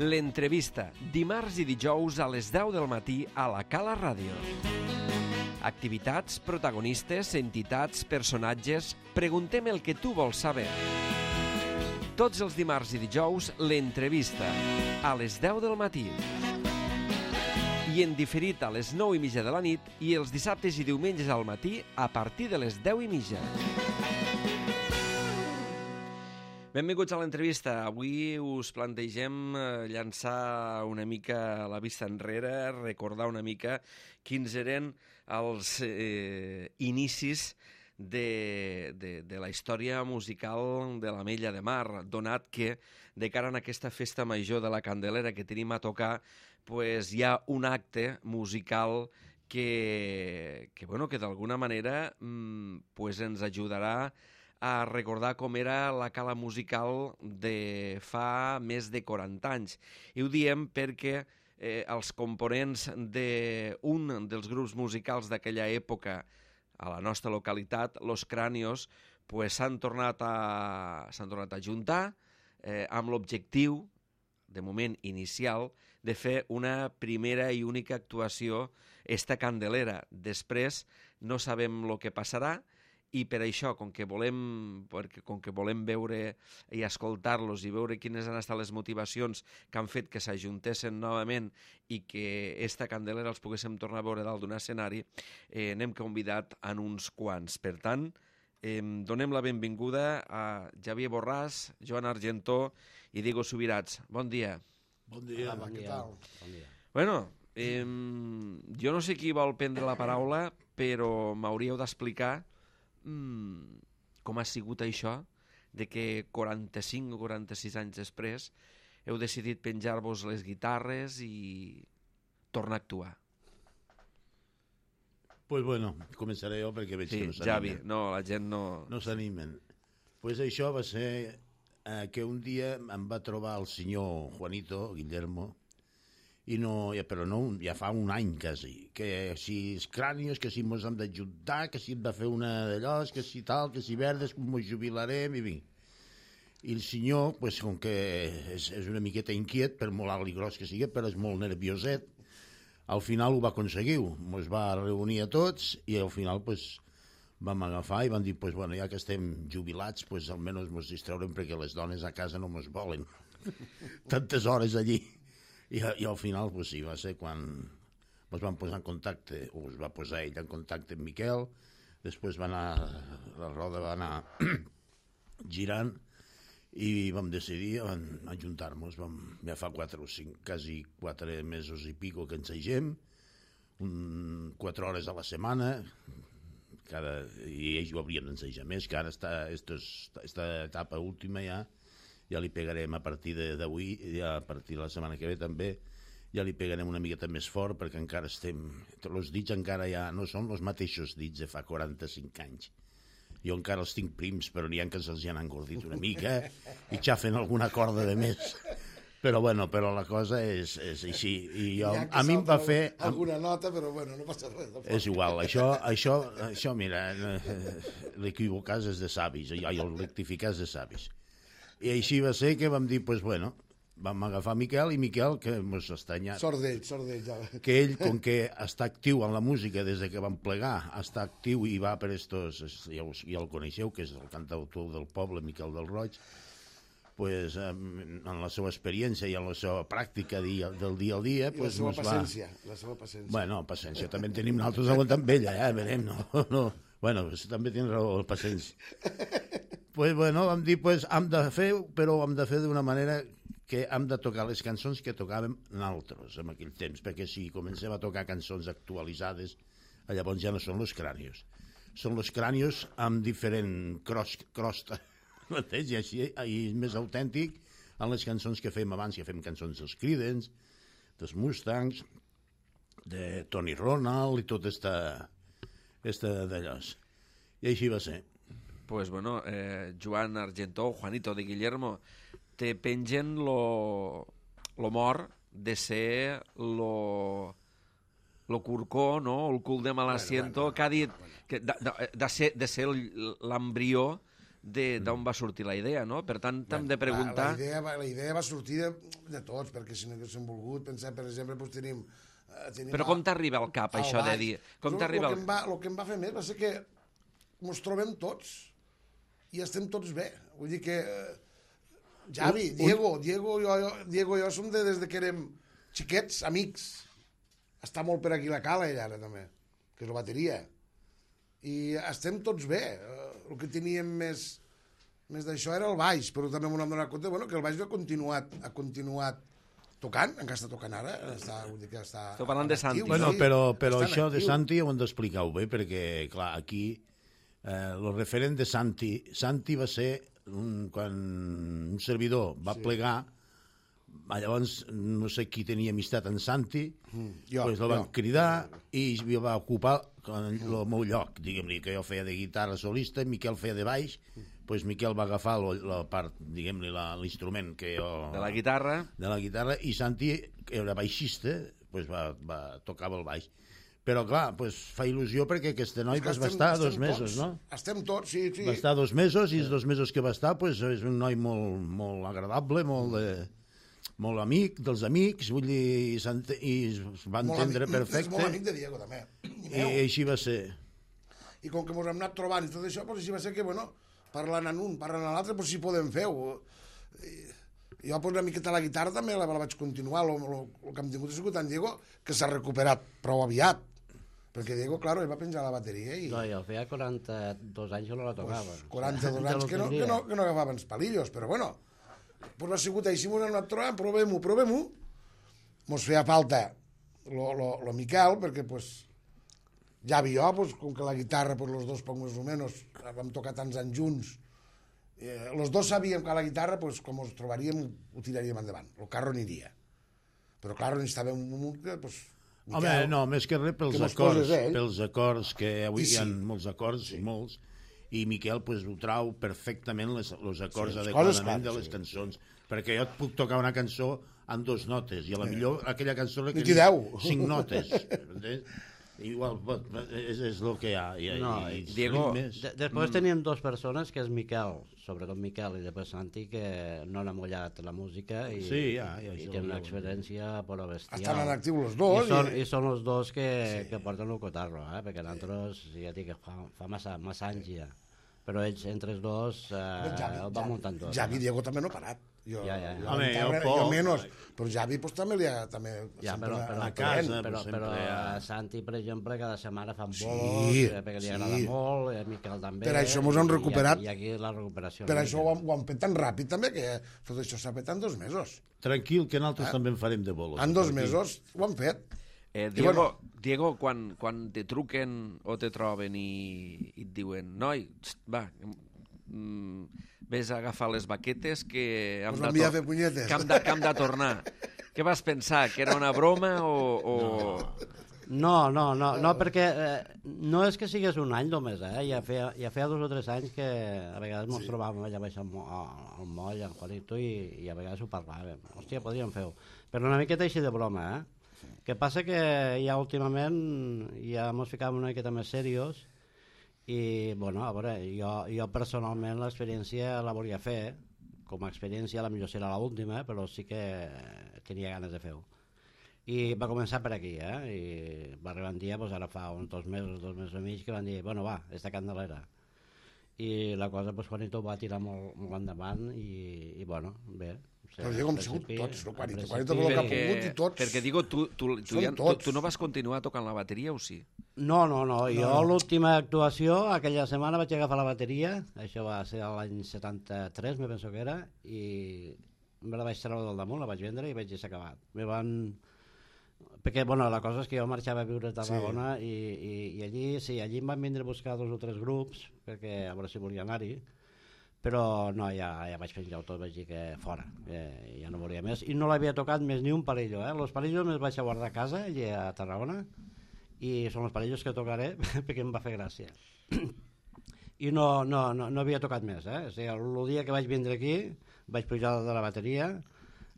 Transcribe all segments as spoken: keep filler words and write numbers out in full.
L'entrevista, dimarts i dijous a les deu del matí a la Cala Ràdio. Activitats, protagonistes, entitats, personatges... Preguntem el que tu vols saber. Tots els dimarts i dijous, l'entrevista, a les deu del matí. I en diferit a les nou i mitja de la nit i els dissabtes i diumenges al matí a partir de les deu i mitja. Benvinguts a l'entrevista. Avui us plantegem llançar una mica la vista enrere, recordar una mica quins eren els eh, inicis de, de, de la història musical de l'Ametlla de Mar, donat que de cara a aquesta festa major de la Candelera que tenim a tocar, pues, hi ha un acte musical que, que, bueno, que d'alguna manera mmm, pues, ens ajudarà a recordar com era la cala musical de fa més de quaranta anys. I ho diem perquè eh, els components d'un dels grups musicals d'aquella època a la nostra localitat, Los Cranios, pues, s'han tornat, a, s'han tornat a juntar eh, amb l'objectiu, de moment inicial, de fer una primera i única actuació esta Candelera. Després no sabem el que passarà, i per això, com que volem, perquè, com que volem veure i escoltar-los i veure quines han estat les motivacions que han fet que s'ajuntessin novament i que esta Candelera els poguéssim tornar a veure dalt d'un escenari, eh, n'hem convidat en uns quants. Per tant, eh, donem la benvinguda a Xavier Borràs, Joan Argentó i Diego Subirats. Bon dia. Bon dia. Hola, què tal? Bon dia. Bueno, eh, jo no sé qui vol prendre la paraula, però m'hauríeu d'explicar Mm, com ha sigut això de que quaranta-cinc o quaranta-sis anys després heu decidit penjar-vos les guitarres i tornar a actuar. Pues bueno, començaré jo perquè veig Sí, que no s'animen. Javi, no, la gent no... No s'animen. Pues això va ser eh, que un dia em va trobar el senyor Juanito, Guillermo, i no, ja, però no, ja fa un any quasi, que si els crànios, que si mos hem d'ajuntar, que si hem de fer una d'allò, que si tal, que si verdes, com mos jubilarem, i vinc. I el senyor, pues, com que és, és una miqueta inquiet, per molt alt i gros que sigui, però és molt nervioset, al final ho va aconseguir, mos va reunir a tots, i al final, pues, vam agafar i van dir, pues, bueno, ja que estem jubilats, pues, almenys mos distraurem perquè les dones a casa no mos volen. Tantes hores allí. I, i al final, pues, sí, va ser quan ens vam posar en contacte, o es va posar ell en contacte amb Miquel, després va anar, la roda va anar girant i vam decidir ajuntar-nos, vam, ja fa quatre o cinc, quasi quatre mesos i pico que ensegem, un, quatre hores a la setmana, cada, i ells ho haurien d'ensejar més, que ara està, esta etapa última ja, ja li pegarem a partir d'avui, ja a partir de la setmana que ve també, ja li pegarem una miqueta més fort perquè encara estem... Els dits encara ja no són els mateixos dits de fa quaranta-cinc anys. Jo encara els tinc prims, però n'hi ha que se'ls han engordit una mica i xafen alguna corda de més. Però bueno, però la cosa és, és així. I jo, a mi em va fer... Alguna nota, però bueno, no passa res. És igual, això, això, això mira, l'equivocar és de savis, i el rectificar és de savis. I així va ser que vam dir, pues bueno, vam agafar Miquel, i Miquel, que mos estranya... Sort d'ell, sort d'ell, ja. Que ell, com que està actiu en la música des que vam plegar, està actiu i va per estos, ja, us, ja el coneixeu, que és el cantautor del poble, Miquel del Roig, pues, en la seva experiència i en la seva pràctica dia, del dia al dia... I pues, la seva paciència, va... la seva paciència. Bueno, paciència, també en tenim nosaltres aguantant vella, ja, veurem, no, no... Bueno, també tens raó, paciència. Pues bueno, vam dir, pues, hem de fer, però hem de fer d'una manera que hem de tocar les cançons que tocàvem nosaltres en aquell temps, perquè si comencem a tocar cançons actualitzades, llavors ja no són Los Cranios. Són Los Cranios amb diferent cros, crosta, i així i és més autèntic en les cançons que fem abans, que fem cançons dels Creedence, dels Mustangs, de Tony Ronald i tot esta, esta d'allòs. I així va ser. Pues bueno, eh, Joan Argentó, Juanito de Guillermo, te pengen lo, lo mort de ser lo, lo curcó, no? El cul de mal asiento, bueno, bueno, que ha dit que de, de, de ser, de ser l'embrió d'on va sortir la idea, no? Per tant, t'hem de La, preguntar... la, idea, va- la idea va sortir de, de tots, perquè si no haguéssim volgut, pensar, per exemple, doncs tenim... eh, tenim Però a- com t'arriba al cap, al això de baix. dir... Com Lo- t'arriba lo al... que em va, lo que em va fer més va ser que ens trobem tots i estem tots bé. Vull dir que eh, Javi, Un- un- Diego, Diego, jo, jo, Diego i jo som de, des de que érem xiquets, amics. Està molt per aquí la cala, ella, ara, també, que és la bateria. I estem tots bé. Eh, el que teníem més, més d'això era el baix, però també m'ho hem donat compte bueno, que el baix ha continuat, ha continuat tocant, encara està tocant ara. Està, vull dir que està Esteu parlant de en actiu, Santi. Bueno, sí, però, però està en això de actiu. Santi ho hem d'explicar-ho bé, perquè, clar, aquí eh, el referent de Santi, Santi va ser un, quan un servidor va sí. plegar, llavors no sé qui tenia amistat en Santi, Mm, jo, pues el van jo. cridar i jo va ocupar el meu lloc, diguem-li, que jo feia de guitarra solista, Miquel feia de baix, pues Miquel va agafar lo, la part, diguem-li, la- l'instrument que jo... De la guitarra... de la guitarra, i Santi, que era baixista, pues va, va tocava el baix. Però, clar, pues, fa il·lusió perquè aquest noi És que pues, va estem- estar estem dos mesos, tots, no? Estem tots, sí, sí. Va estar dos mesos, i els dos mesos que va estar pues, és un noi molt, molt agradable, molt, de, molt amic dels amics, vull dir, i, s'ent- i es va Molt entendre amic- És perfecte, molt amic de Diego, també. I, i meu. així va ser. I com que ens hem anat trobant i tot això, doncs així va ser que, bueno, parlant en un, parlant en l'altre, doncs si podem fer-ho. I jo, doncs, una miqueta la guitarra també la, la vaig continuar. El que hem tingut ha sigut en Diego, que s'ha recuperat prou aviat. Perquè Diego, claro, ell va penjar la bateria i... No, jo feia quaranta-dos anys que no la tocava. Pues, quaranta-dos Ja anys lo que no, que, tindria. no, que no agafaven els palillos, però bueno, pues ha sigut així, ens hem anat trobant, provem-ho, provem-ho. Mos feia falta lo, lo, lo Miquel, perquè pues, Javi i jo, pues, com que la guitarra, pues, los dos poc més o menys, vam tocar tants anys junts, eh, los dos sabíem que a la guitarra, pues, com ens trobaríem, ho tiraríem endavant, el carro aniria. Però, clar, necessitàvem un... Pues, Home, Miquel, no, més que res pels que mos acords, poses ell. pels acords, que avui I sí. hi ha molts acords, sí. molts, i Miquel pues, ho trau perfectament les, els acords Sí, les adequadament coses, clar, de les sí. cançons, perquè jo et puc tocar una cançó en dos notes, i a la millor aquella cançó li Ni queden t'hi deu. cinc notes. Entens? Igual, pot- és, és el que hi ha. I, No, i, i Diego, ritmes. De després teníem dues persones, que és Miquel, sobretot Miquel, i després Santi, que no han amollat la música i, Sí, ja, ja, i això tenen una ja ho experiència però bestial. Estan en actiu els dos. I són, i- i són els dos que, sí. que porten el cotarro, eh? Perquè nosaltres, ja dic, fa, fa massa, massa anys ja. Però ells, entre els dos, eh, Javi, el van muntant tot. Javi i Diego també no ha parat. Jo, Ja, ja, ja. jo, Home, guitarra, jo poc. jo menys, però Javi pues, també li ha... També, Ja, sempre però, ha- però, ha a però, casa, però, pues, però, sempre a ha- Santi, per exemple, cada setmana fan Sí, bolos, eh, perquè li sí. agrada molt, i a Miquel també. Per això mos hem i- recuperat. I, i aquí la recuperació. Per una això ho, mica. han- ho han fet tan ràpid també, que tot això s'ha fet en dos mesos. Tranquil, que nosaltres també en farem de bolos. En dos per aquí. mesos ho han fet. Eh, I Diego, bueno- Diego quan, quan te truquen o te troben i, i et diuen noi, txt, va, mm, vés a agafar les baquetes que hem, Us de, vam enviar a tor- fer punyetes. que hem, de, que hem de tornar. Què vas pensar? Que era una broma o... o... No, no, no, no, perquè eh, no és que sigués un any només, eh? Ja feia, ja feia dos o tres anys que a vegades ens sí. trobàvem allà baix al, mo al moll, en Juanito, i, i a vegades ho parlàvem. Hòstia, podríem fer-ho. Però una miqueta així de broma, eh? Sí. Que passa que ja últimament ja ens ficàvem una miqueta més serios i, bueno, a veure, jo, jo personalment l'experiència la volia fer, com a experiència, la millor serà l'última, però sí que tenia ganes de fer-ho. I va començar per aquí, eh? I va arribar un dia, doncs ara fa uns dos mesos, dos mesos i mig, que van dir, bueno, va, esta candelera. I la cosa, doncs, Juanito va tirar molt, molt endavant i, i bueno, bé. O sigui, Però Diego, hem al sigut principi- tots, no? al Juanito, principi- Juanito, tot el que ha perquè, pogut i tots. perquè digo, tu, tu, tu, Són ja, tu, tots. tu no vas continuar tocant la bateria o sí? No, no, no, jo no. l'última actuació, aquella setmana vaig agafar la bateria, això va ser l'any setanta-tres, me penso que era, i me la vaig treure del damunt, la vaig vendre i vaig deixar acabat. Me van... Perquè, bueno, la cosa és que jo marxava a viure a Tarragona sí. i, i, i allí, sí, allí em van vindre a buscar dos o tres grups, perquè a veure si volia anar-hi, però no, ja, ja vaig penjar tot, vaig dir que fora, que ja no volia més, i no l'havia tocat més ni un palillo, eh? Los palillos me'ls vaig a guardar a casa, allà a Tarragona, i són els palillos que tocaré perquè em va fer gràcia. I no, no, no, no havia tocat més, eh? O sigui, el dia que vaig vindre aquí, vaig pujar de la bateria,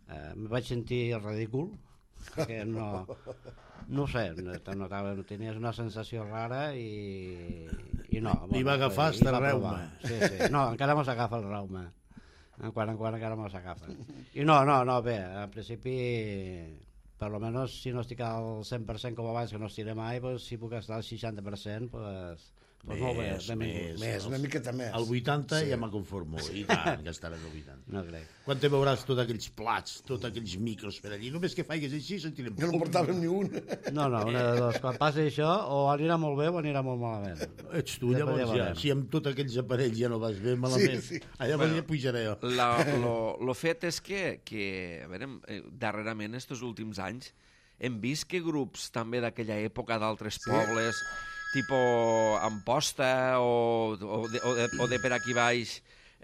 eh, em vaig sentir ridícul, que no, no ho sé, te notava, tenies una sensació rara i, i no. I va agafar i hasta va el provar. reuma. Sí, sí, no, encara mos agafa el reuma. En quant en quant encara mos agafa. I no, no, no, bé, al principi, per lo menos, si no estic al cent per cent com abans, que no estiré mai, pues, si puc estar al seixanta per cent, pues, pues molt bé, Més, benvingut. Més, una miqueta més. Al vuitanta Sí. ja me conformo, i tant, que estaràs al vuitanta. No crec. Quan te veuràs tots aquells plats, tots aquells micros per allí, només que faigues així sentirem... Jo no en portàvem ni un. No, no, una de dos. Quan passi això, o anirà molt bé o anirà molt malament. Ets tu, Després llavors, ja ja. veurem. Si amb tots aquells aparells ja no vas bé, malament. Sí, sí. Allà bueno, ja pujaré jo. La, lo, lo fet és que, que a veure, eh, darrerament, estos últims anys, hem vist que grups també d'aquella època d'altres sí. pobles, tipo Amposta o, o, de, o, de, o de per aquí baix,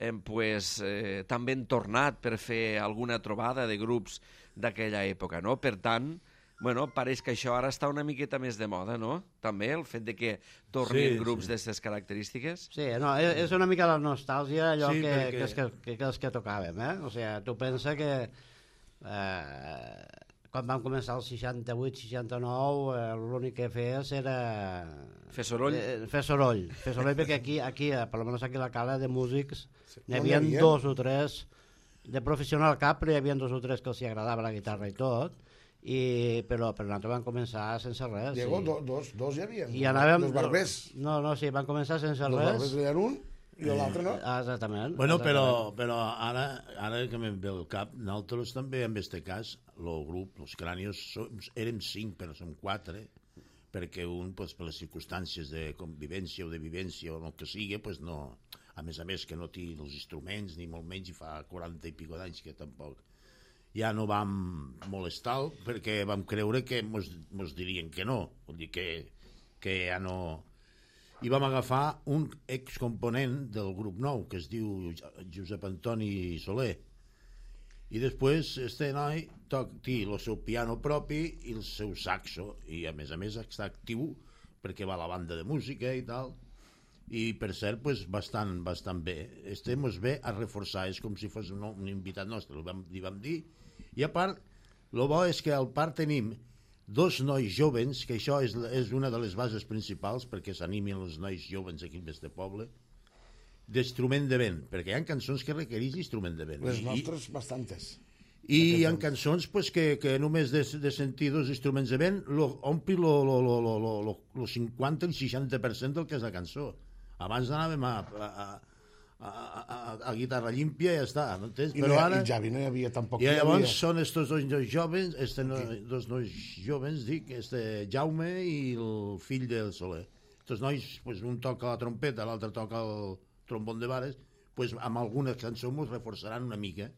eh, pues, eh, també han tornat per fer alguna trobada de grups d'aquella època, no? Per tant, bueno, pareix que això ara està una miqueta més de moda, no? També, el fet de que tornin Sí, grups sí. d'aquestes característiques. Sí, no, és, és una mica la nostàlgia allò Sí, que, perquè- que, és que, que, que és que tocàvem, eh? O sigui, tu pensa que eh, quan vam començar el seixanta-vuit seixanta-nou eh, l'únic que feies era... Fer soroll. Eh, fer soroll, fer soroll perquè aquí, aquí eh, per almenys aquí a la cala de músics n'hi no n'hi havia havia. dos o tres de professional cap, però hi havia dos o tres que els hi agradava la guitarra i tot, i, però, però nosaltres vam començar sense res. Diego, i, do, dos, dos hi havia. i anàvem... Dos barbers. No, no, sí, vam començar sense Dos res. barbers eren un i l'altre no. Ah, exactament. Bueno, però, exactament. però ara, ara que me'n ve el cap, nosaltres també, en aquest cas, el grup, els crànios, som, érem cinc, però som quatre, perquè un, pues, per les circumstàncies de convivència o de vivència o el que sigui, pues, no, a més a més que no té els instruments, ni molt menys, i fa quaranta i pico d'anys que tampoc ja no vam molestar perquè vam creure que mos, mos dirien que no, vull dir que, que ja no... I vam agafar un excomponent del grup nou, que es diu Josep Antoni Soler. I després este noi toc, té el seu piano propi i el seu saxo, i a més a més està actiu perquè va a la banda de música i tal, i per cert, pues, bastant, bastant bé. Este mos ve a reforçar, és com si fos un, un invitat nostre, li vam, li vam dir. I a part, el bo és que al part tenim dos nois jovens, que això és, és una de les bases principals perquè s'animin els nois jovens aquí en este poble, d'instrument de vent, perquè hi ha cançons que requereix instrument de vent. Les I- nostres, bastantes. I hi ha cançons pues, que, que només de, de sentir dos instruments de vent lo, ompli lo, lo, lo, lo, lo, lo, lo cinquanta i seixanta per cent del que és la cançó. Abans anàvem a, a, a, a, a, a guitarra límpia i ja està, no entens? I, Però no, ara... I Javi no hi havia tampoc. I no hi llavors havia. són estos dos nois jovens, este no, dos nois jovens, dic, este Jaume i el fill del Soler. Estos nois, pues, un toca la trompeta, l'altre toca el trombón de vares, pues, amb algunes cançons ens reforçaran una mica.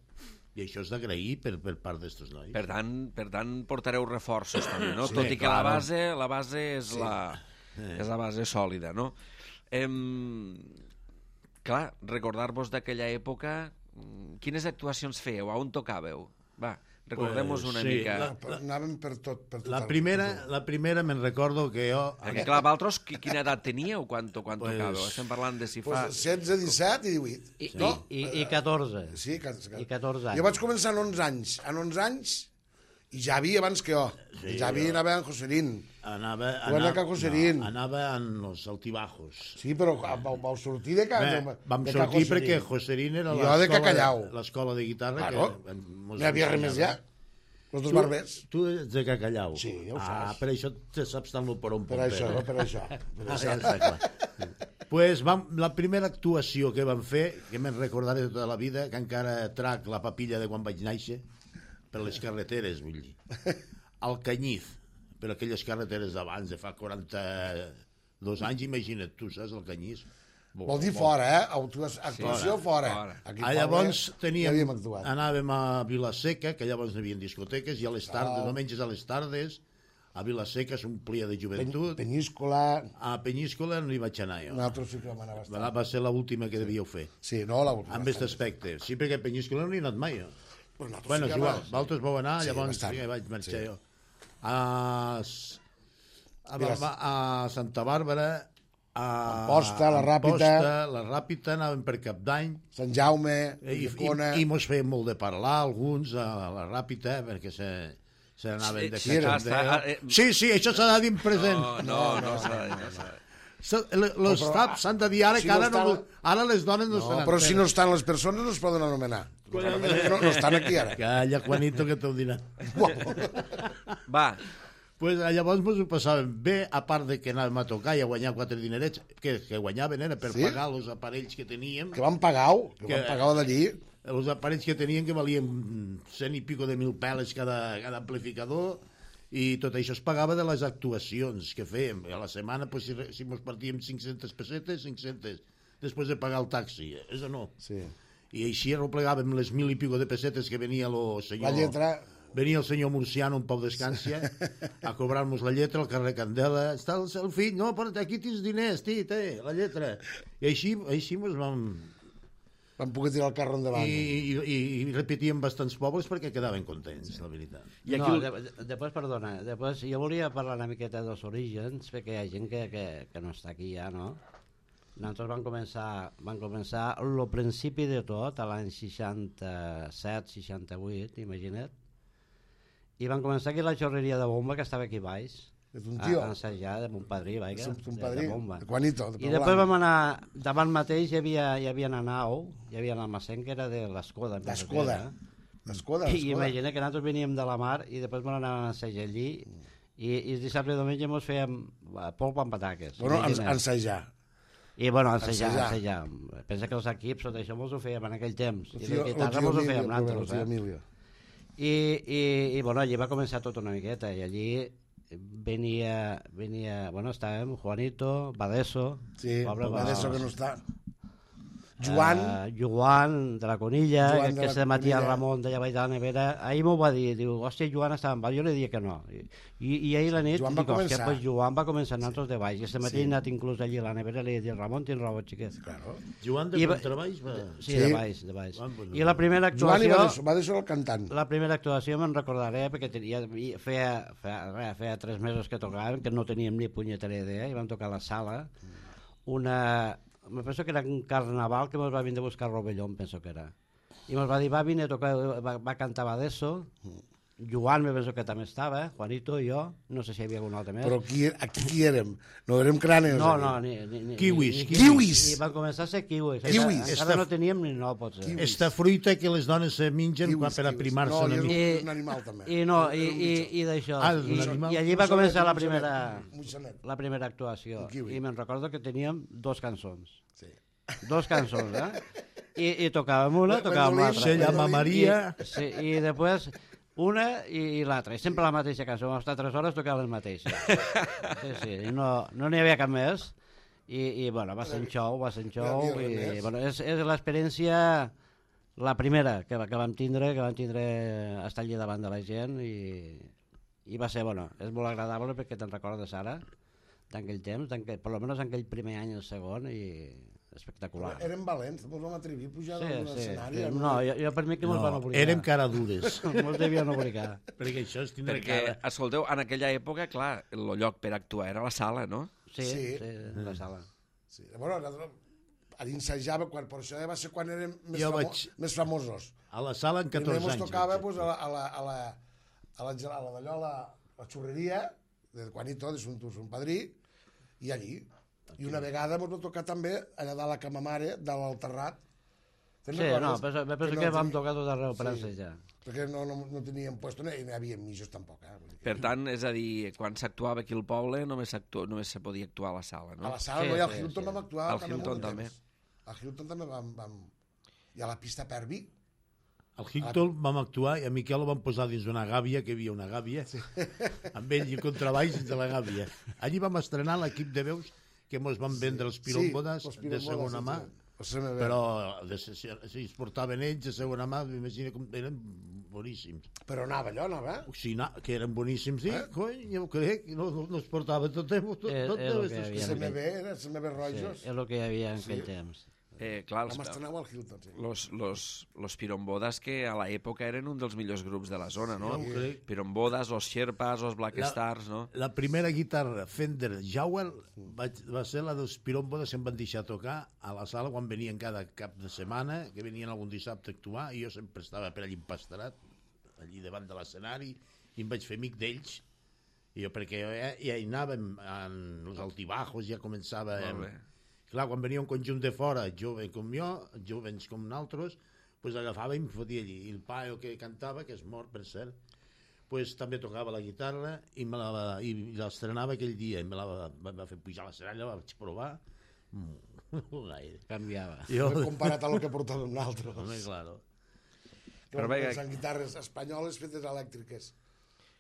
I això és d'agrair per, per part d'estos nois. Per tant, per tant, portareu reforços també, no? Sí, Tot i que clar. la base, la base és, sí. la, és la base sòlida, no? Em, clar, recordar-vos d'aquella època, mm, quines actuacions fèieu? A on tocàveu? Va, recordem-nos Pues, una sí, mica. la- Anàvem per tot. Per tot La el- primera, per tot. la primera me'n recordo que jo... Perquè, clar, vosaltres, qui- quina edat teníeu quan, quan Pues- tocàveu? Estem parlant de si fa... Pues setze, disset i divuit. I, no? i, i, i catorze. Sí, que, que... I catorze anys. Jo vaig començar en onze anys. En onze anys, i Javi abans que jo. Sí, Javi jo- anava en Joserín. Anava, Tu vas a Ca Joserín. no, anava en els altibajos. Sí, però vau, vau sortir de Ca... Bé, de, vam de Ca sortir Joserín. perquè Joserín era I jo de l'escola Cacallau. l'escola de guitarra. Claro. Que, No hi havia res més ja. Els dos barbers. Tu ets de Cacallau. Sí, ja ho Ah, saps. per això te saps tant el porón Per això, no, per això. Per Ah, això. ja està clar. Pues vam, la primera actuació que vam fer, que me'n recordaré tota la vida, que encara trac la papilla de quan vaig néixer, per les carreteres, vull dir. Al Canyiz, per aquelles carreteres d'abans, de fa quaranta-dos anys, imagina't tu, saps, el Canyiz. Vol dir fora, eh? Autua- Actuació fora. fora. Aquí Ah, llavors ja teníem, havíem actuat. anàvem a Vilaseca, que llavors hi havia discoteques, i a les tardes, Ah. diumenges a les tardes, a Vilaseca s'omplia de Pen, joventut. Penyíscola, A Penyíscola no hi vaig anar jo. nosaltres sí que vam anar bastant. Va ser l'última que devíeu fer. Sí, no, la última. Amb aquest aspecte. Sí, perquè a Penyíscola no hi he anat mai, jo. Però nosaltres Bueno, sí és que igual. vam- Vosaltres vau anar, Sí, llavors bastant. sí que vaig marxar Sí. jo. A, S- a, Mira, Barba- a Santa Bàrbara, a Amposta, la Ràpita. Amposta, la Ràpita, anàvem per Cap d'Any, Sant Jaume, i, i, Llecona... i mos feien molt de parlar alguns a la Ràpita, perquè se, Se n'anaven de Sí, era, cachondeo. està- eh, Sí, sí, això s'ha de dir en present. No, no, no, s'ha de dir, no s'ha de dir. Els taps s'han de dir ara, si que ara, no no, estan- ara les dones no, No, se però si no n'entenen. estan les persones no es poden anomenar. No, no estan aquí ara. Calla, Juanito, que t'ho dirà. Va, Pues, llavors ens ho passàvem bé, a part de que anàvem a tocar i a guanyar quatre dinerets, que, que guanyaven era per Sí? pagar els aparells que teníem, Que van pagar-ho, que Que- van pagar-ho d'allí. els aparells que tenien que valien cent i pico de mil peles cada, cada amplificador, i tot això es pagava de les actuacions que fèiem. A la setmana, pues, si, si mos partíem cinc-centes pessetes, cinc-centes, després de pagar el taxi, és o no? Sí. I així arreplegàvem les mil i pico de pessetes que venia el senyor... La lletra... Venia el senyor Murciano, un Pau d'Escància, a cobrar-nos la lletra al carrer Candela. Està el, el fill, no, però aquí tens diners, tí, té, la lletra. I així, així mos vam... Van poder tirar el carro endavant. I, i, i repetíem bastants pobles perquè quedaven contents, la veritat. I aquí No, el- de, de, després, perdona, després jo volia parlar una miqueta dels orígens, perquè hi ha gent que, que, que no està aquí ja, no? Nosaltres vam començar, vam començar el principi de tot, a l'any seixanta-set seixanta-vuit, imagina't, i vam començar aquí la xorreria de bomba que estava aquí baix, És un a, tio. a ensejar de mon padrí, vaja, És un, un de, padrí, de bomba. de Juanito. De I després vam anar, davant mateix hi havia, hi havia una nau, hi havia un almacén que era de l'Escoda. L'Escoda. L'Escoda, I l'Escoda. imagina que nosaltres veníem de la mar i després vam anar a ensejar allí i, i el dissabte i diumenge ens fèiem eh, polpa amb pataques. Bueno, ens, imagina't. ensejar. I bueno, ensejar, ensejar. ensejar. Pensa que els equips, tot això mos ho fèiem en aquell temps. El I tio, la el guitarra tio mos ho Emilio, fèiem el nosaltres. tio Eh? Emilio. I, i, I bueno, allí va començar tot una miqueta i allí venia, venia bueno, estàvem Juanito, Badeso, Sí, pobre va Badeso, d'això que no està. Joan, Uh, Joan de la Conilla, Joan que, de que la se matia Conilla. Ramon d'allà baix de la nevera. Ahir m'ho va dir, diu, hòstia, Joan estava amb val. Jo li dia que no. I, i, i ahir la nit, Joan va dic, hòstia, començar. pues Joan va començar nosaltres de baix. I este matí Sí. he anat inclús allí a la nevera i li he dit, Ramon, tens raó, xiquet. claro. Joan de I va- Contrabaix va... Sí, Sí. de baix, de baix. Ah, bueno. I la primera Joan i actuació... va d'això, va d'això el cantant. La primera actuació me'n recordaré perquè tenia, feia, feia, feia, feia tres mesos que tocàvem, que no teníem ni punyetera idea, i vam tocar a la sala una... Me penso que era un carnaval que ens va vindre a buscar Rovelló, em penso que era. I ens va dir, va vindre a tocar, va, va cantar Badeso, Joan me penso que també estava, Juanito i jo, no sé si hi havia algun altre més. Però aquí, aquí qui érem? No érem cranes. no, aquí. no, ni, ni, ni, Kiwis, ni, ni, kiwis. I van començar a ser kiwis. Kiwis. Encara Esta- no teníem ni no, potser. Kiwis. Esta fruita que les dones se mengen Kiwis, quan per kiwis. aprimar-se No, una jo- mica. és un animal, també. I, no, i, Era un i, mitjó. i d'això. Ah, I, un animal. I allí va Un començar la sonet, un primera, sonet, un sonet. la primera actuació. Un kiwi. I me'n recordo que teníem dos cançons. Sí. Dos cançons, eh? I, i tocàvem una, Mandolín, tocàvem l'altra. Se llama Mandolín. Maria. I, sí, i després una i, i l'altra. I sempre la mateixa cançó. Vam estar tres hores tocant les mateixes. Sí, sí. I no no n'hi havia cap més. I, i bueno, va ser un show, va ser un show. No hi havia res I, més. bueno, és, és l'experiència la primera que, va- que vam tindre, que vam tindre estar allí davant de la gent i, i va ser, bueno, és molt agradable perquè te'n recordes ara d'aquell temps, per almenys en aquell primer any i el segon, i espectacular. Érem valents, ens vam atrevir a pujar Sí, a un sí, escenari. sí. amb No, una- jo, jo per mi que me'ls van No, obligar. érem cara dures. Me'ls devien obligar. Perquè això és tindre Perquè, cara. escolteu, en aquella època, clar, el lloc per actuar era la sala, no? Sí, Sí. sí, sí la sala. Sí. Bueno, nosaltres ensajava, quan, per això va ser quan érem més, Jo famo vaig- més famosos. A la sala en Primer catorze mos anys. tocava vaig pues, a la, a la, a la, a la, a la, d'allò, a la, la xurreria de Juanito, de son, son padrí, i allí. I una vegada ens va tocar també allà dalt a Cama Mare, dalt al Terrat. Te'n Sí, recordes? no, penso, penso que, no vam teni- tocar tot arreu per Sí. ensejar. Perquè no, no, no teníem puesto, no, i no hi havia mitjos tampoc. Eh? Vull dir que- Per tant, és a dir, quan s'actuava aquí al poble només, només se podia actuar a la sala, no? A la sala, Sí, no, i al sí, Hilton sí. vam actuar. Al també Hilton molt de també. temps. Al Hilton també vam, vam... I a la pista Pervi. Al Hilton vam actuar i a Miquel el vam posar dins d'una gàbia, que hi havia una gàbia, amb ell i contrabaix dins de la gàbia. Allí vam estrenar l'equip de veus que mos van vendre els piròmbodes els de piròmbodes, segona mà, els C M B. però de, si, si es portaven ells de segona mà, m'imagino com eren boníssims. Però anava allò, anava. O sigui, na, que eren boníssims, sí, Eh? coi, jo ho crec, no, no, no es portava tot, tot, tot, És- tot és el deu que estar hi havia. C M B, era C M B Sí, Rojos. és el que hi havia en aquell temps. Eh, clar, Vam els, estrenar al Hilton, sí. los, los, los pirombodas que a l'època eren un dels millors grups de la zona, no? Sí, ho crec. Pirombodas, los Sherpas, los Black La- Stars, no? La primera guitarra Fender Jowell vaig, va ser la dels piròmbodes, em van deixar tocar a la sala quan venien cada cap de setmana, que venien algun dissabte a actuar, i jo sempre estava per allí empasterat, allí davant de l'escenari, i em vaig fer amic d'ells, i jo, perquè ja, ja hi anàvem en els altibajos, ja començàvem... Clar, quan venia un conjunt de fora, jove com jo, jovens com nosaltres, pues agafava i em fotia allí. I el paio que cantava, que és mort, per cert, pues també tocava la guitarra i me la, i l'estrenava aquell dia, i me la va, va fer pujar la seralla, la vaig provar, mm, gaire. Canviava. Jo... Comparat a lo que portàvem nosaltres. Home, claro. Però veia... Són guitarres espanyoles fetes elèctriques.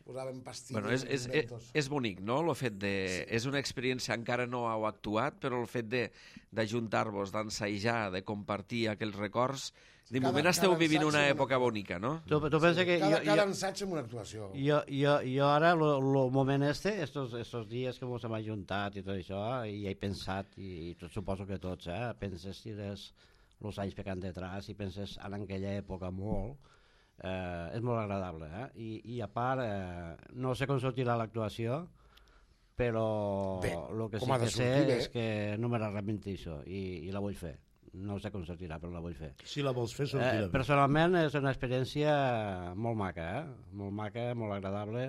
Posàvem pastilles... Bueno, és, és, és, és bonic, no?, el fet de... Sí. És una experiència, encara no heu actuat, però el fet d'ajuntar-vos, d'ensajar, de compartir aquells records... De cada, moment esteu vivint una època una... bonica, no? Tu, tu pensa que cada, jo, cada jo, ensaig amb una actuació. Jo, jo, jo ara, el moment este, estos, estos dies que ens hem ajuntat i tot això, i he pensat, i, i tot, suposo que tots, eh, penses si els anys que han detrás, i penses en aquella època molt, eh, és molt agradable, eh? I, i a part, eh, no sé com sortirà l'actuació, però el que sí que sé sortir, és que no me l'arrepenteixo i, i la vull fer. No sé com sortirà, però la vull fer. Si la vols fer, sortirà. Eh, personalment és una experiència molt maca, eh? Molt maca, molt agradable,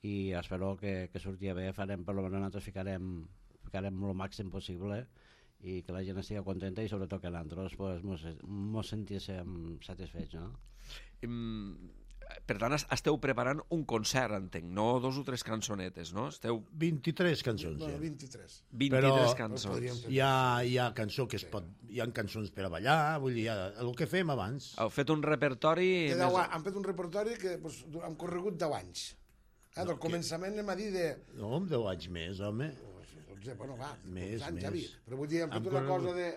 i espero que, que surti bé. Farem, per almenys nosaltres ficarem, ficarem el màxim possible i que la gent estigui contenta i sobretot que nosaltres pues, mos, mos sentíssim satisfets, no? Um, per tant, esteu preparant un concert, entenc, no dos o tres cançonetes, no? Esteu... vint-i-tres cançons, no, ja. vint-i-tres. vint-i-tres cançons. Hi ha, hi ha cançó que es pot... Hi ha cançons per a ballar, vull dir, ha, el que fem abans. Heu fet un repertori... Més... Hem fet un repertori que pues, hem corregut deu anys. Eh, del no, començament que... anem a dir de... No, amb deu anys més, home. dotze, bueno, va, més, anys, més. Ja vi. Però vull dir, hem fet hem una corregut... cosa de,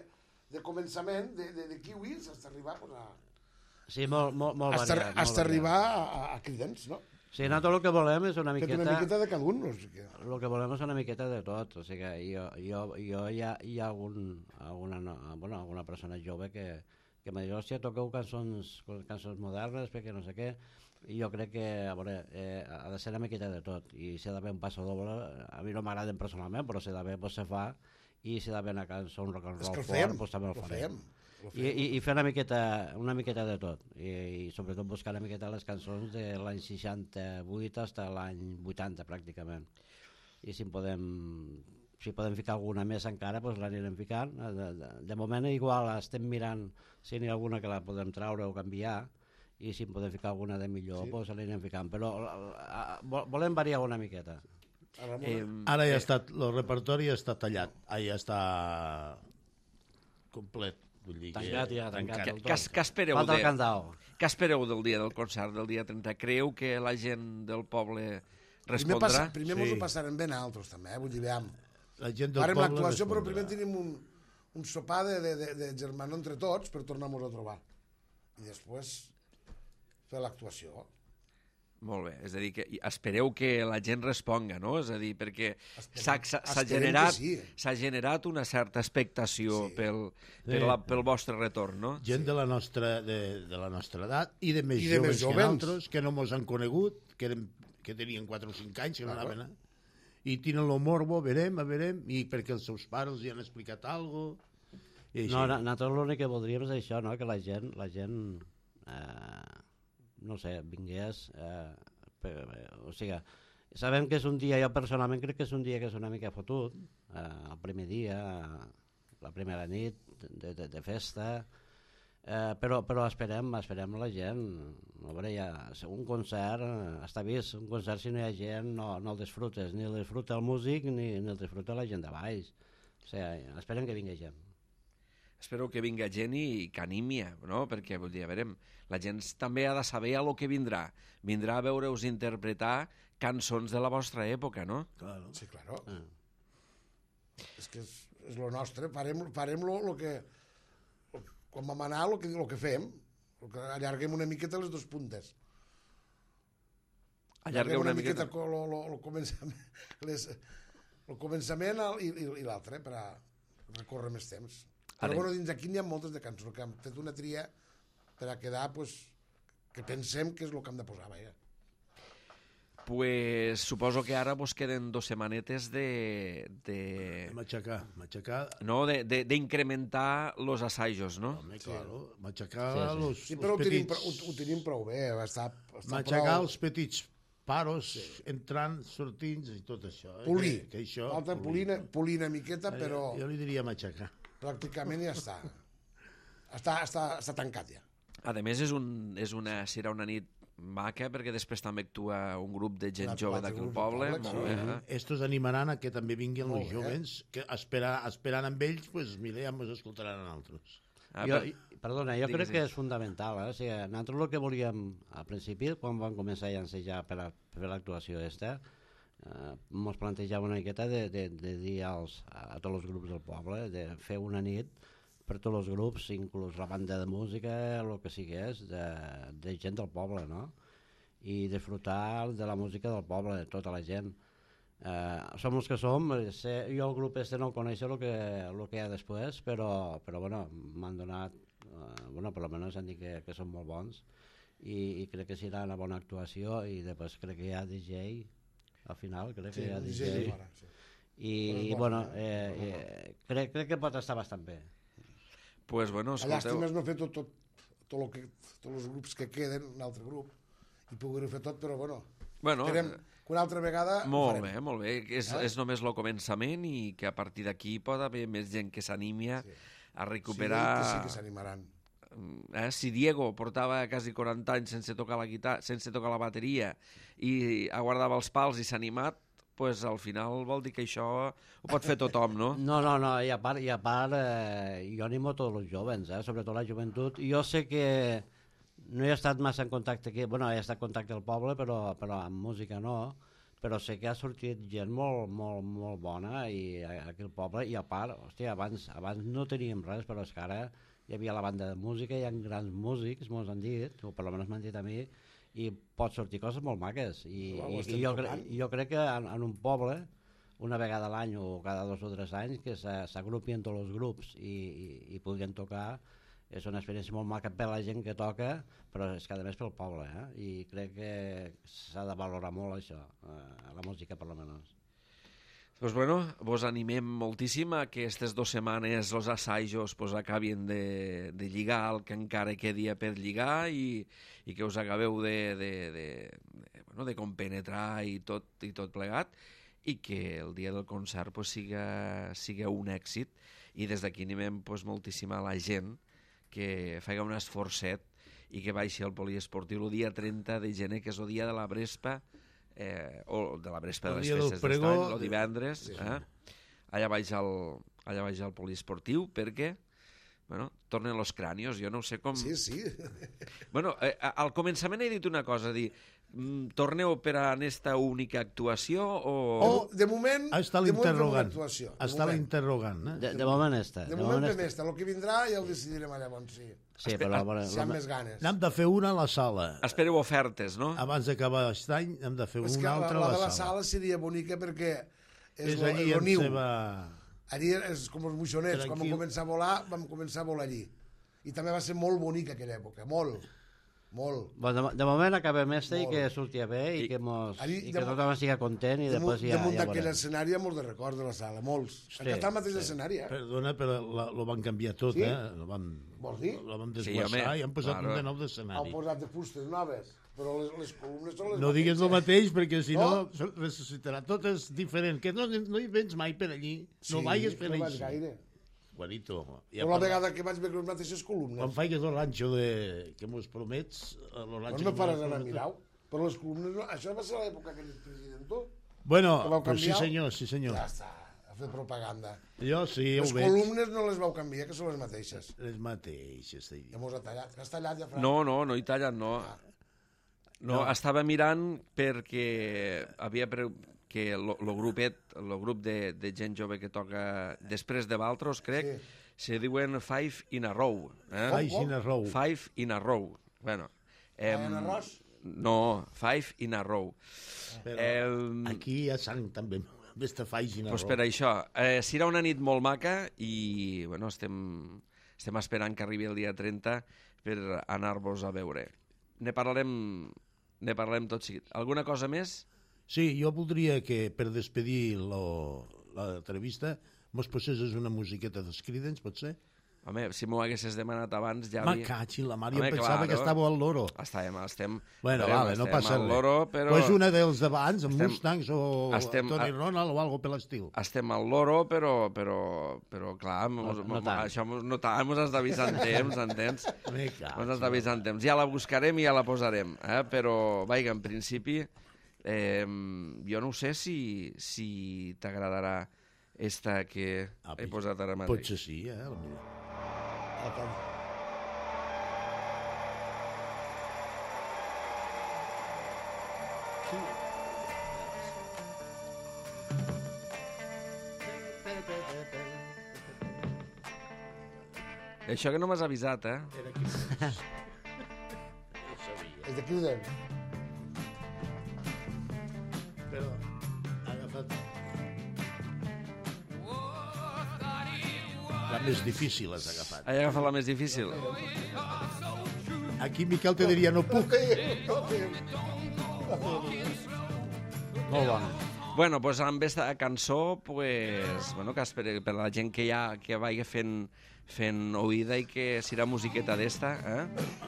de començament, de, de, de kiwis, fins a arribar pues, a... Sí, molt, molt, molt hasta, variat. Hasta arribar a, a cridents, no? Sí, nosaltres el que volem és una miqueta... una miqueta de cada un. No sé què. El que volem és una miqueta de tot. O sigui que jo, jo, jo hi ha, hi ha algun, alguna, no, bueno, alguna persona jove que, que m'ha dit, hòstia, toqueu cançons, cançons modernes, perquè no sé què, i jo crec que, a veure, eh, ha de ser una miqueta de tot. I si ha d'haver un passo doble, a mi no m'agraden personalment, però si ha d'haver, doncs se fa, i si ha d'haver una cançó, un rock and roll fort, doncs també el farem. I, i, i fer una miqueta, una miqueta de tot i, i sobretot buscar una miqueta les cançons de l'any seixanta-vuit fins a l'any vuitanta pràcticament, i si podem si podem ficar alguna més encara doncs l'anirem ficant. De, de, de moment igual estem mirant si n'hi ha alguna que la podem traure o canviar, i si en podem ficar alguna de millor sí. doncs l'anirem ficant, però a, a, volem variar una miqueta. Ara, eh, ara ja està, el repertori ja està tallat, ja està complet. Vull dir tancat que... ja, tancat del tot. Què espereu, de... què espereu del dia del concert, del dia trenta? Creu que la gent del poble respondrà? Primer, passa, primer sí. Mos ho passarem ben altres, també, eh? Vull dir, veiem. La gent del Farem poble l'actuació, respondrà. però primer tenim un, un sopar de, de, de, de germano entre tots per tornar-nos a trobar. I després fer l'actuació. Molt bé, és a dir, que espereu que la gent responga, no? És a dir, perquè s'ha generat, sí. generat una certa expectació sí. pel, pel, sí. la, pel vostre retorn, no? Gent sí. de, la nostra, de, de la nostra edat i de més I joves, de més joves que nosaltres, que no mos han conegut, que, eren, que tenien quatre o cinc anys, que no anaven a... I tenen el morbo, verem, a verem, i perquè els seus pares els hi han explicat alguna cosa. No, nosaltres l'únic que voldríem és això, no? Que la gent... La gent eh... no sé, vingués, eh, per, o sigui, sabem que és un dia, jo personalment crec que és un dia que és una mica fotut, eh, el primer dia, la primera nit de, de, de festa, eh, però, però esperem, esperem la gent, a veure, ja, un concert, eh, està vist, un concert si no hi ha gent no, no el disfrutes, ni el disfruta el músic ni, ni el disfruta la gent de baix, o sigui, esperem que vingui gent. Espero que vinga gent i que animia, no? Perquè, vull dir, a veure, la gent també ha de saber a lo que vindrà. Vindrà a veure-us interpretar cançons de la vostra època, no? Claro. Sí, claro. Ah. És que és, és lo nostre. Farem, farem lo, lo que... Quan vam anar, lo que, lo que fem. Lo que allarguem una miqueta les dues puntes. Allarguem una, una miqueta... miqueta lo, lo, lo començament, les, el començament i, i, i l'altre, per a recórrer més temps. Però bueno, dins d'aquí n'hi ha moltes de cançons, que hem fet una tria per a quedar, pues, que pensem que és el que hem de posar, vaja. Pues suposo que ara vos queden dos setmanetes de... de... Matxacar, matxacar... No, d'incrementar los assajos, no? Home, claro, matxacar sí, sí. los, sí, però los ho tenim, petits. Ho, ho tenim prou bé, està, està matxacar prou... els petits paros entrant, sortint i tot això. eh, Polir. Que, que això, Falta polir, polir una miqueta, però Jo li diria matxacar. pràcticament ja està. Està, està, està tancat ja. A més, és, un, és una, serà una nit maca, perquè després també actua un grup de gent Un jove altre d'aquí al grup de poble. poble, Molt sí. bé, eh? Estos animaran a que també vinguin Molt els bé. jovens, que espera, esperant amb ells, pues, mira, ja ens escoltaran a altres. Ah, jo, per- perdona, jo Digues, crec que digues. és fundamental. Eh? O sigui, nosaltres el que volíem al principi, quan vam començar a llancejar per, a, per l'actuació aquesta, eh, ens plantejava una miqueta de, de, de dir als, a tots els grups del poble, de fer una nit per tots els grups, inclús la banda de música, el que sigués, de, de gent del poble, no? I disfrutar de la música del poble, de tota la gent. Eh, som els que som, sé, jo el grup este no el coneixo el que, el que hi ha després, però, però bueno, m'han donat, eh, bueno, per almenys han dit que, que són molt bons i, i crec que serà una bona actuació i després crec que hi ha D J al final, crec que hi ha D J, D J fora, sí. i, i bueno, eh, eh, crec, crec que pot estar bastant bé. pues, bueno, La llàstima escolteu... és no fer tot, tot, tot lo que, tots els grups que queden, un altre grup, i poder fer tot, però bueno, Bueno, esperem que una altra vegada ho molt farem. bé, molt bé. És, Eh? és només el començament i que a partir d'aquí pot haver més gent que s'animi a, Sí. a Sí, recuperar... que sí que s'animaran. Eh? Si Diego portava quasi quaranta anys sense tocar la guitarra, sense tocar la bateria i aguardava els pals i s'ha animat, pues al final vol dir que això ho pot fer tothom, no? No, no, no, i a part, i a part eh, jo animo a tots els jovens, eh, sobretot la joventut. Jo sé que no he estat massa en contacte aquí, bueno, he estat en contacte al poble, però, però amb música no, però sé que ha sortit gent molt, molt, molt bona i, aquí al poble, i a part, hòstia, abans, abans no teníem res, però és que ara hi havia la banda de música, hi ha grans músics, mos han dit, o per almenys m'han dit a mi, i pot sortir coses molt maques. I, Ho i, estem i jo, cre tocant. jo crec que en, en un poble, una vegada a l'any o cada dos o tres anys, que s'agrupien tots els grups i, i, i podrien tocar, és una experiència molt maca per la gent que toca, però és que a més pel poble, eh? I crec que s'ha de valorar molt això, eh, la música per almenys. Pues bueno, vos animem moltíssim a que aquestes dues setmanes els assajos pues, acabin de, de lligar el que encara quedi per lligar i, i que us acabeu de, de, de, de, bueno, de compenetrar i tot, i tot plegat i que el dia del concert pues, siga, siga un èxit i des d'aquí animem pues, moltíssim a la gent que faci un esforçet i que baixi al poliesportiu el dia trenta de gener, que és el dia de la Brespa, eh, o de la Brespa El de les dia del festes pregó, d'estany, el divendres, sí, sí. eh? allà baix al, allà baix al poliesportiu, perquè bueno, tornen los crànios, jo no ho sé com... Sí, sí. Bueno, eh, al començament he dit una cosa, dir, mm, torneu per a aquesta única actuació o... O, de moment, Ah, està de moment fem una l'interrogant. actuació. de Està moment. l'interrogant. Eh? De, de moment està. De moment fem està. esta. El que vindrà ja ho decidirem llavors, sí. Sí, però... Bueno, Si hi ha més ganes. N'hem de fer una a la sala. Espereu ofertes, no? Abans d'acabar aquest any hem de fer És que una la, altra la a de la la sala. sala seria bonica perquè és, És lo, allí lo en niu. seva... Allí és com els moixonets, quan vam Tranquil. començar a volar, vam començar a volar allí. I també va ser molt bonica aquella època, molt, molt. Bueno, de, de moment acabem este i Molt. que surti bé i, I- que, mos, Allí, i que damunt- tothom estigui content i Damunt, després ja, damunt ja d'aquell veurem. escenari hi ha molts de records de la sala, molts. Sí, Sí, està al mateix sí. escenari, eh? Perdona, però la, lo van canviar tot, Sí? eh? Lo van, Vols dir? lo van Sí, desguassar home, i han posat claro. un de nou Han d'escenari. posat de fustes noves, però les, les columnes són les No digues el mateixes. mateix, perquè si no, No? ressuscitarà. Tot és diferent. Que no, no hi vens mai per allí. No vagis per no allí. vaig gaire. Juanito. Però la vegada que vaig veure les mateixes columnes, Quan faigues el ranxo de... que mos promets... El no ranxo me que faràs mos anar a prometes- mirar. Però les columnes, no. Això va ser l'època que ell president tu. Bueno, Que vau pues sí canviar? senyor, sí senyor. Ja està, a fer propaganda. Jo sí, ho Les veig. columnes no les vau canviar, que són les mateixes. Les mateixes. t'he dit. Ja mos ha tallat. Que has tallat ja, Fran? No, no, no hi tallen, no. No, No. estava mirant perquè havia pre... que el grupet, el grup de, de gent jove que toca després de Valtros, crec, se diuen Five in a Row. Eh? Faig in a row. Five in a Row. Bueno, Five in a Row? No, Five in a Row. Però El- aquí hi ha sang també. Vés-te faig in a Pues row. per això, eh, serà una nit molt maca i bueno, estem, estem esperant que arribi el dia trenta per anar-vos a veure. Ne parlarem, ne parlarem tot seguit. Alguna cosa més? Sí, jo voldria que per despedir lo- l'entrevista mos posessis una musiqueta dels Creedence, pot ser? Home, si m'ho haguessis demanat abans ja Me havia... caig in la mar, jo Home, pensava claro. que estàveu al loro. Estem, estem... Bueno, estem, vale, no estem passa al res. loro, però... Pues una dels d'abans, amb Estem- Mustangs o estem- Tony a- Ronald o algo per l'estil. Estem al loro, però, però, però clar, mos, No- no mos- tant. això mos- no tant, mos has d'avisar en temps, entens? Me caig. Mos has d'avisar en temps. Ja la buscarem i ja la posarem, eh? Però, vaja, en principi, eh, jo no sé si, si t'agradarà esta que Ah, he posat ara mateix. Potser sí, eh? potser. Això que no m'has avisat, eh? Era aquí. No sabia. És de Cruden. Però ha agafat... La més difícil has agafat. He agafat la més difícil. Aquí Miquel te diria no puc. Molt bona. Bueno, doncs amb aquesta cançó, pues, bueno, que espero, per la gent que ja que vagi fent, fent oïda i que serà musiqueta d'esta, eh?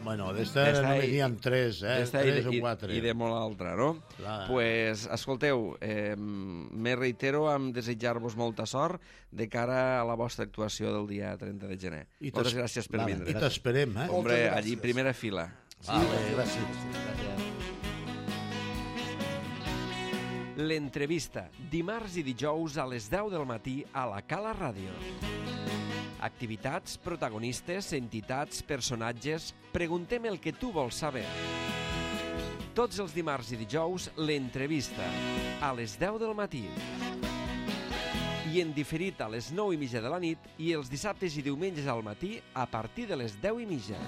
Bueno, d'esta D'esta només i- n'hi ha tres, eh? D'esta i, Tres o i, quatre. i de molt altra, no? Clar. Pues, escolteu, eh, me reitero amb desitjar-vos molta sort de cara a la vostra actuació del dia trenta de gener. I Moltes t'es- gràcies per Vale, vindre. I t'esperem, eh? Hombre, Moltes allí gràcies. primera fila. Vale, gràcies. Gràcies. L'entrevista, dimarts i dijous a les deu del matí a la Cala Ràdio. Activitats, protagonistes, entitats, personatges... Preguntem el que tu vols saber. Tots els dimarts i dijous, l'entrevista, a les deu del matí. I en diferit a les nou i mitja de la nit i els dissabtes i diumenges al matí a partir de les deu i mitja.